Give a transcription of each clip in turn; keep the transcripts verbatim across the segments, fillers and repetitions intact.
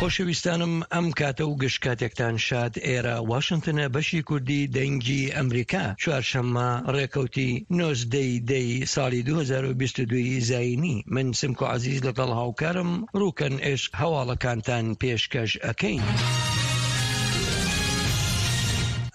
خۆشەویستانم، ئەم کاتە و گشت کاتێکتان شاد. ئێرە واشنتنە، بەشی کوردی دەنگی ئەمریکا. چوارشەممە ڕێکەوتی نۆزدەی دەی ساڵی دوو هەزار و بیست و دوو زایینی، من سمکۆ عەزیز لەگەڵ هاوکارم ڕوکەن عشق هەواڵەکانتان پێشکەش ئەکەین.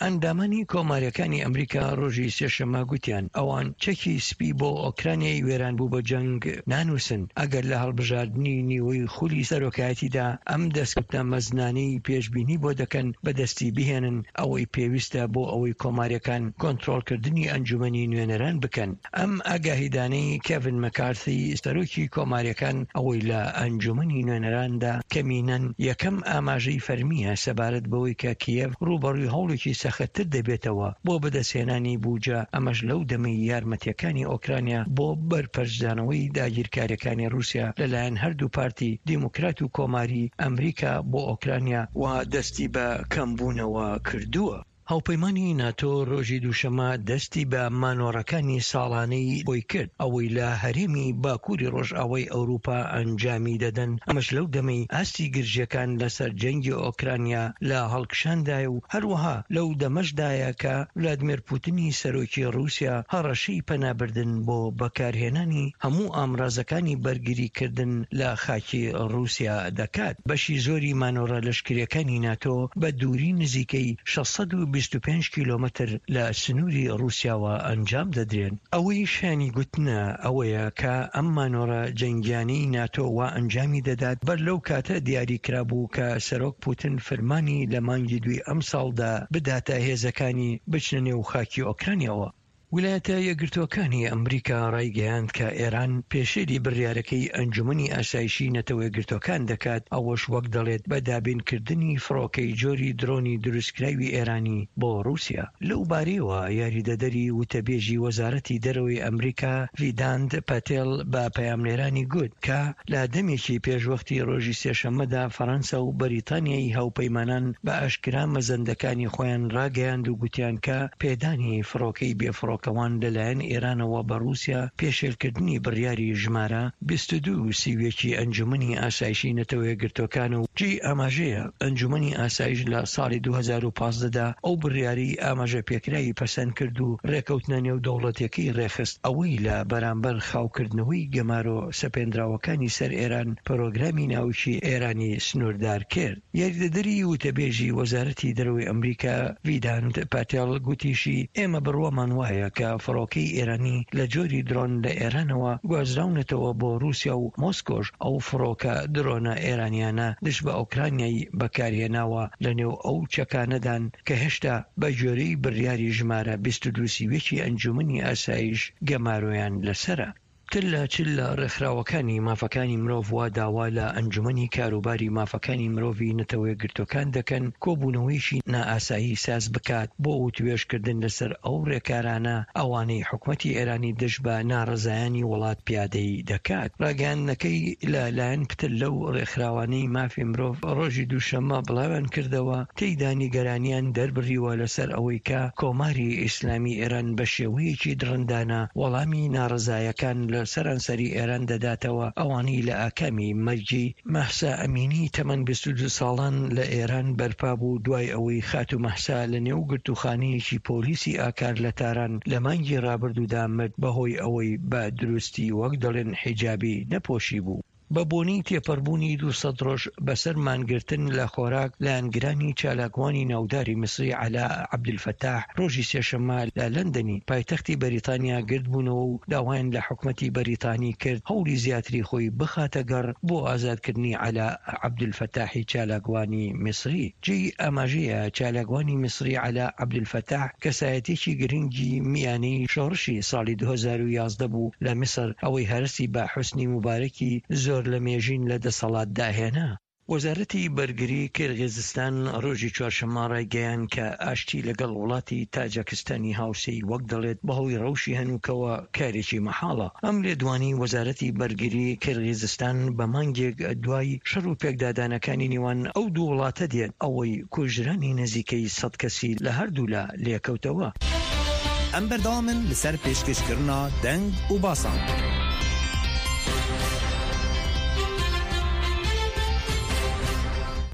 ئەندامانی کۆماریەکانی ئەمریکا ڕۆژی سێشەممە گوتیان ئەوان چەکی سپی بۆ ئۆکرانیای وێران بوو بە جەنگ نانووسن ئەگەر لە هەڵبژاردنی نیوەی خولی سەرۆکایەتیدا ئەم دەستکەوتە مەزنانەی پێشبینی بۆ دەکەن بەدەستی بهێنن، ئەوەی پێویستە بۆ ئەوەی کۆماریەکان کۆنترۆڵکردنی ئەنجومەنی نوێنەران بکەن. ئەم ئاگاهیدانەی کێڤن مەکارثی سەرۆکی کۆماریەکان ئەوەی لە ئەنجومەنی نوێنەراندا کەمینەن یەکەم ئاماژەی فەرمیە سەبارەت بەوەی کە کیێڤ ڕووبەڕووی هەوڵێکی سەختتر دەبێتەوە بۆ بەدەستهێنانی بوجە، ئەمەش لەو دەمەی یارمەتیەکانی ئۆکرانیا بۆ بەرپەرچدانەوەی داگیرکاریەکانی رووسیا لەلایەن هەردوو پارتی دیموکرات و کۆماری ئەمریکا بۆ ئۆکرانیا و دەستی بە کەمبوونەوە کردووە. هاوپەیمانی ناتۆ ڕۆژی دووشەممە دەستی بە مانۆڕەکانی ساڵانەی خۆی کرد، ئەوەی لە هەرێمی باکووری ڕۆژئاوای ئەوروپا ئەنجامی دەدەن، ئەمەش لەو دەمەی ئاستی گرژیەکان لەسەر جەنگی ئۆکرانیا لە هەڵکشاندایە و هەروەها لەو دەمەشدایە کە ڤلادیمێر پوتنی سەرۆکی ڕووسیا هەڕەشەی پەنابردن بۆ بەکارهێنانی هەموو ئامرازەکانی بەرگریکردن لە خاکی ڕووسیا دەکات. بەشی زۆری مانۆڕە لەشکریەکانی ناتۆ بە دووری نزیکەی شەش سەد و بیست و پێنج کیلۆمەتر لە سنووری ڕووسیاوە ئەنجام دەدرێن. ئەوەی شایانی گوتنە ئەوەیە کە ئەم مانۆڕە جەنگیانەی ناتۆ وا ئەنجامی دەدات بەر لەو کاتە دیاری کرابوو کە سەرۆک پوتن فرمانی لە مانگی دووی ئەمساڵدا بداتە هێزەکانی بچنە نێو خاکی ئۆکرانیاوە. ویلایەتە یەکگرتووەکانی ئەمریکا ڕایگەیاند کە ئێران پێشێلی بڕیارەکەی ئەنجومەنی ئاسایشی نەتەوە یەکگرتووەکان دەکات، ئەوەش وەک دەڵێت بە دابینکردنی فڕۆکەی جۆری درۆنی دروستکراوی ئێرانی بۆ ڕووسیا. لەو بارەیەوە یاریدەدەری وتەبێژی وەزارەتی دەرەوەی ئەمریکا ڤیدانت پاتێل بە پەیامنێرانی گوت کە لە دەمێکی پێشوەختی ڕۆژی سێشەممەدا فەرەنسا و بەریتانیای هاوپەیمانان بە ئاشکرا مەزەندەکانی خۆیان ڕاگەیاند و گوتیان کە پێدانی فڕۆکەی بێفڕۆکەوان لەلایەن ئێرانەوە بە ڕووسیا پێشێلکردنی بڕیاری ژمارە بیست و دوو سی و یەک ی ئەنجومەنی ئاسایشی نەتەوە یەکگرتووەکان و جێی ئاماژەیە ئەنجومەنی ئاسایش لە ساڵی دوو هەزار و پازدە دا ئەو بڕیارەی ئاماژە پێکراوی پەسەند کرد و ڕێکەوتنە نێودەوڵەتیەکەی ڕێکخست، ئەوەی لە بەرامبەر خاوکردنەوەی گەمارۆ سەپێندراوەکانی سەر ئێران پرۆگرامی ناوکی ئێرانی سنووردار کرد. یاریدەدەری وتەبێژی وەزارەتی دەرەوەی ئەمریکا ڤیدانت پاتێڵ گوتیشی، ئێمە بڕوامان وایە کە فڕۆکەی ئێرانی لە جۆری درۆن لە ئێرانەوە گوازراونەتەوە بۆ رووسیا و مۆسکۆش ئەو فڕۆکە درۆنە ئێرانیانە دژ بە ئۆکرانیای بەکارهێناوە لەنێو ئەو چەکانەدان کە هێشتا بە گوێرەی بڕیاری ژمارە بیست و دوو سی و یەک ی ئەنجومەنی ئاسایش گەمارۆیان لەسەرە. پتر لە چل لە ڕێکخراوەکانی مافەکانی مرۆڤ وا داوا لە ئەنجومەنی کاروباری مافەکانی مرۆڤی نەتەوەیەکگرتووەکان دەکەن کۆبوونەوەیەکی نائاسایی ساز بکات بۆ وتوێژکردن لەسەر ئەو ڕێکارانە ئەوانەی حکومەتی ئێرانی دژ بە ناڕەزایانی وڵات پیادەی دەکات. ڕاگەیاندنەکەی لە لایەن پتر لەو ڕێکخراوانەی مافی مرۆڤ ڕۆژی دووشەممە بڵاویان کردەوە، تێیدا نیگەرانیان دەربڕیوە لەسەر ئەوەی کە کۆماری ئیسلامی ئێران بە شێوەیەکی دڕندانە وەڵامی ناڕەزایەکان لە سەرانسەری ئێران دەداتەوە، ئەوانەی لە ئاکامی مەرگی مەهسا ئەمینی تەمەن بیست و دوو ساڵان لە ئێران بەرپا بوو دوای ئەوەی خاتوو مەهسا لە نێو گرتووخانەیەکی پۆلیسی ئاکار لە تاران لە مانگی ڕابردوودا مرد بەهۆی ئەوەی بە دروستی وەک دەڵێن حیجابی نەپۆشیبوو. بە بۆنەی تێپەڕبوونی دوو سەد ڕۆژ بەسەر مانگرتن لە خۆراک، لایەنگرانی چالاکوانی ناوداری میسری عەلا عەبدولفەتاح ڕۆژی سێشەممە لە لەندەنی پایتەختی بەریتانیا گردبوونەوە و داوایان لە حکومەتی بەریتانی کرد هەوڵی زیاتری خۆی بخاتە گەڕ بۆ ئازادکردنی عەلا عەبدولفەتاحی چالاکوانی میسری. جێی ئاماژەیە چالاکوانی میسری عەلا عەبدولفەتاح کەسایەتیەکی گرنگی میانەی شۆڕشی ساڵی دوو هەزار و یازدە بوو لە میسر، ئەوەی هەرەسی بە حوسنی موبارەکی زۆر لە مێژین لە دەسەڵاتدا هێنا. وەزارەتی بەرگری کیرغیزستان ڕۆژی چوارشەممە ڕایگەیاند کە ئاشتی لەگەڵ وڵاتی تاجەکستانی هاوسێی وەک دەڵێت بەهۆی ڕەوشی هەنووکەوە کارێکی مەحاڵە. ئەم لێدوانەی وەزارەتی بەرگری کیرغیزستان بە مانگێک دوای شەڕ و پێکدادانەکانی نێوان ئەو دوو وڵاتە دێت، ئەوەی کوژرانی نزیکەی سەد کەسی لە هەردوولا لێکەوتەوە. ئەم بەردەوامن لەسەر پێشکەشکردنا دەنگ و باسان.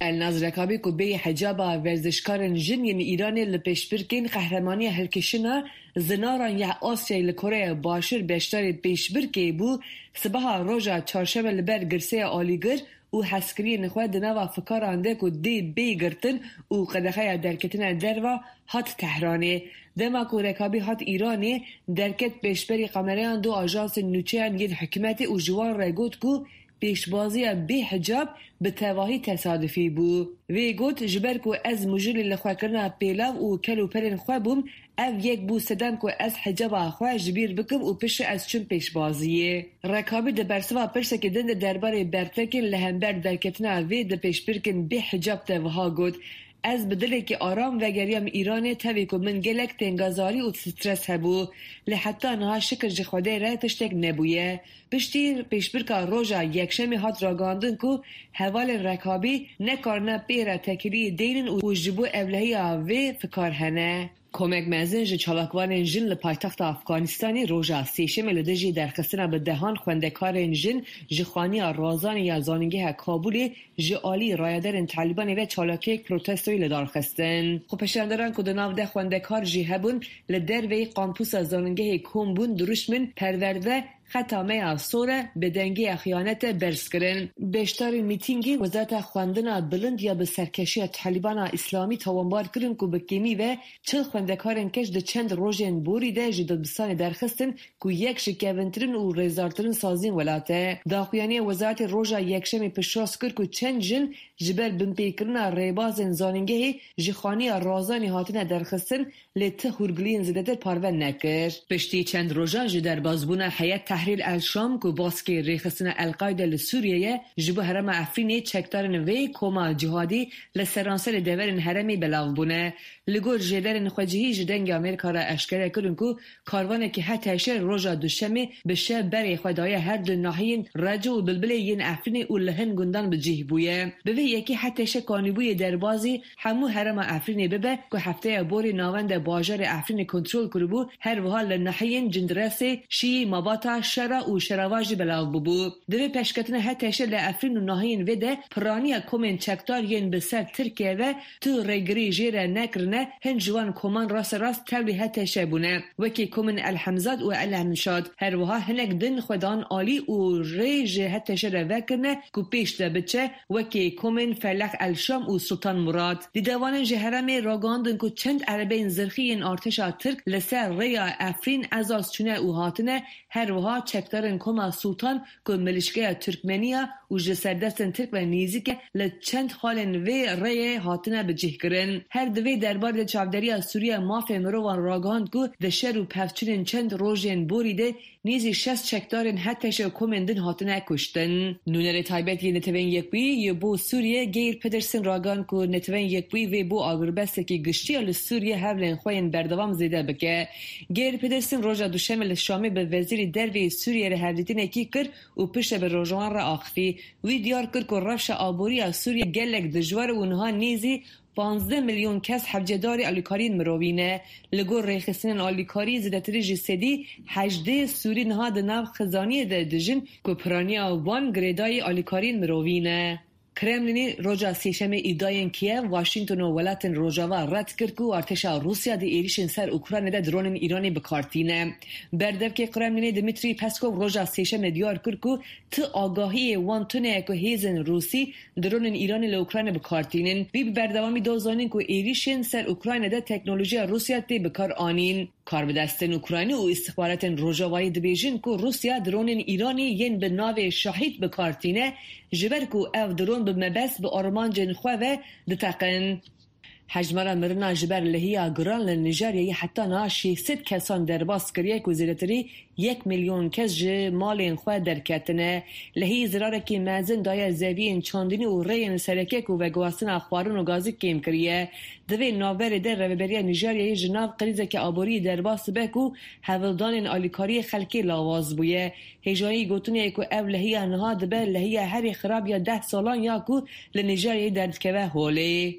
Elnaz Rekabi ku bêyî hicaba werzişkarên jin yên Îranê li pêşbirkên qehremaniya hilkişîna zinaran ya Asyayê li Koreya Başûr beşdarî pêşbirkê bû, sibeha roja çarşemê li ber girseya alîgir û hezkiriyên xwe di nava fikaran de ku dê bê girtin û qedexeya derketina derve hat Tehranê. Dema ku Rekabî hat Îranê, derket pêşberî kamereyan du ajansên nûçeyan yên hikûmetê û ji wan re got ku pêşbaziya bê hicab bi tevahî tesadufî bû. Wê got ji ber ku ez mijûlî li xwekirina pêlav û kel û pelên xwe bûm, ev yek bû sedem ku ez hicaba xwe ji bîr bikim û piştre ez çûm pêşbaziyê. Rekabî di bersiva pirsekê din de derbarê bertekên li hember derketina vê di pêşbirkên bê hicab de wiha got: Ez bi dilekî aram vegeriyam Îranê tevî ku min gelek tengezarî û stres hebû. Lê heta niha şikir ji Xwedê re tiştek nebûye. Piştî pêşbirka roja yekşemê hat ragihandin ku hevalên Rekabî nekarine pê re têkiliyê deynin û ji bo ewlehiya vê fikar hene. Komek mezin ji çalakvanên jin li paytexta Afganistanê roja sêşemê li dijî derxistina bi dehan xwendekarên jin ji xaniya razanê ya Zanîngeha Kabûlê ji alî rayedarên Talîbanê ve çalakiyek protestoyî li dar xistin. Xwepêşanderan ku di nav de xwendekar jî hebûn li derveyî kampusa zanîngehê kom bûn dirûşmên perwerde xeta me ya sor e bêdengiya xiyanetê berz kirin. Beşdarên mîtîngê Wezareta Xwendina Bilind ya bi serkeşiya Talîbana Îslamî tawanbar kirin ku bi kêmî ve çil xwendekarên keç di çend rojên borî de ji dibistanê derxistin ku yek ji kevintirin û rêzdartirin saziyên welat e. Daxuyaniya wezaretê roja yekşemê piştrast kir ku çend jin ji ber binpêkirina rêbazên zanîngehê ji xaniya razanê hatine derxistin lê ti hûrgiliyên zêdetir parve nekir. Piştî çend rojan ji derbasbûna Heyet Tehrîr El Şam ku baskê rêxistina El Qaîde li Sûriyeyê ji bo herêma Efrînê çekdarên vê koma cîhadî li seranserê deverên herêmê belav bûne. Li gor jêderên xwecihî ji Dengê Amerîka re eşkere kirin ku karwanekî HTŞ roja duşemê bi şev berê xwe daye her du nahiyên Reco û Bilbilê yên Efrînê û li hin gundan bi cih bûye. Bi vê yekê HTŞ kanîbûyê derbazî hemû herêma Efrînê bibe ku hefteya borî navenda bajarê Efrînê kontrol kiribû, her wiha li nahiyên Cindiresê, Şiyî, Mabata, Şera û Şerava jî belav bûbû. Di vê pêşketina HTŞ li Efrîn û nahiyên vê de piraniya komên çekdar yên bi ser Tirkiye ve tu rêgirî jê re nekirine, hin ji wan koman rasterast tevlî HTŞ bûne. Wekî komên El Hemzat û El Hemşad. Her wiha hinek din xwe dan alî û rê ji HTŞ re vekirine ku pêş de biçe wekî komên Feleq El Şam û Sultan Murad. Dîdevanên ji herêmê ragihandin ku çend erebeyên zirxî yên artêşa Tirk li ser rêya Efrîn Ezaz çûne û hatine, her wiha çekdarên koma Sultan ku milîşkeya Tirkmeniya û ji serdestên Tirk ve nêzîk e li çend xalên vê rêyê hatine bicihkirin. Her di vê derbarê de çavdêriya Sûriye mafê mirovan ragihand ku di şer û pevçûnên çend rojên borî de nêzî şeş çekdarên HTŞ û komên din hatine kuştin. Nûnerê taybet yê Neteweyên Yekbûyî yê bo Sûriye Geir Pedersen ragihand ku Neteweyên Yekbûyî vê bo agirbestekî giştî ya li Sûriye hevlên xwe yên berdewam zêde bike. Geir Pedersen roja duşemê li Şamê bi wezîrê derveyê Sûriye re hevdîtinekî kir û piştre bi rojnamevan re axivî. Wî diyar kir ku rewşa aboriya Sûriye gelek dijwar e û niha nêzî pazdeh milyon kes hewcedarê alîkariyên mirovî ne. Li gor rêxistinên alîkarî zêdetirî ji sedî hejdeh Sûrî niha di nav xizaniyê de dijin ku piraniya wan girêdayî alîkariyên mirovî ne. Kremlinê roja sêşemê îdiayên Kiev, Washington û welatên Rojava red kir ku artêşa Rûsya di êrişên ser Ukraynayê de dronên Îranê bi kar tîne. Berdevkê Kremlinê Dmitry Peskov roja sêşemê diyar kir ku ti agahiyê wan tune ye ku hêzên Rûsî dronên Îranê li Ukraynayê bi kar tînin. Wî bi berdewamî da zanîn ku êrişên ser Ukraynayê de teknolojiya Rûsya tê bi kar anîn. Karbidestên Ukraynî û îstixbaratên Rojavayî dibêjin ku Rûsya dronên Îranê yên bi navê Şahid bi kar tîne ji ber ku ev dron bi mebest bi armancên xwe ve diteqin. Hejmara mirina ji ber lehiya giran li Nijeryayê heta niha şêst sed kesan derbas kiriye ku zêdetirî yek milyon kes ji malên xwe derketine. Lehî zirarekî mezin daye zeviyên çandinî û rêyên sereke ku veguhastina xwarin û gazî kêm kiriye. Di vê navberê de rêveberiya Nijeryayê ji nav krîzeke aboriyê derbas dibe ku hewldanên alîkariyê xelkê lawaz bûye. Hêjayî gotinê ku ev lehiya niha dibe lehiya herî xirab ya deh salan ya ku li Nijeryayê derdikeve holê.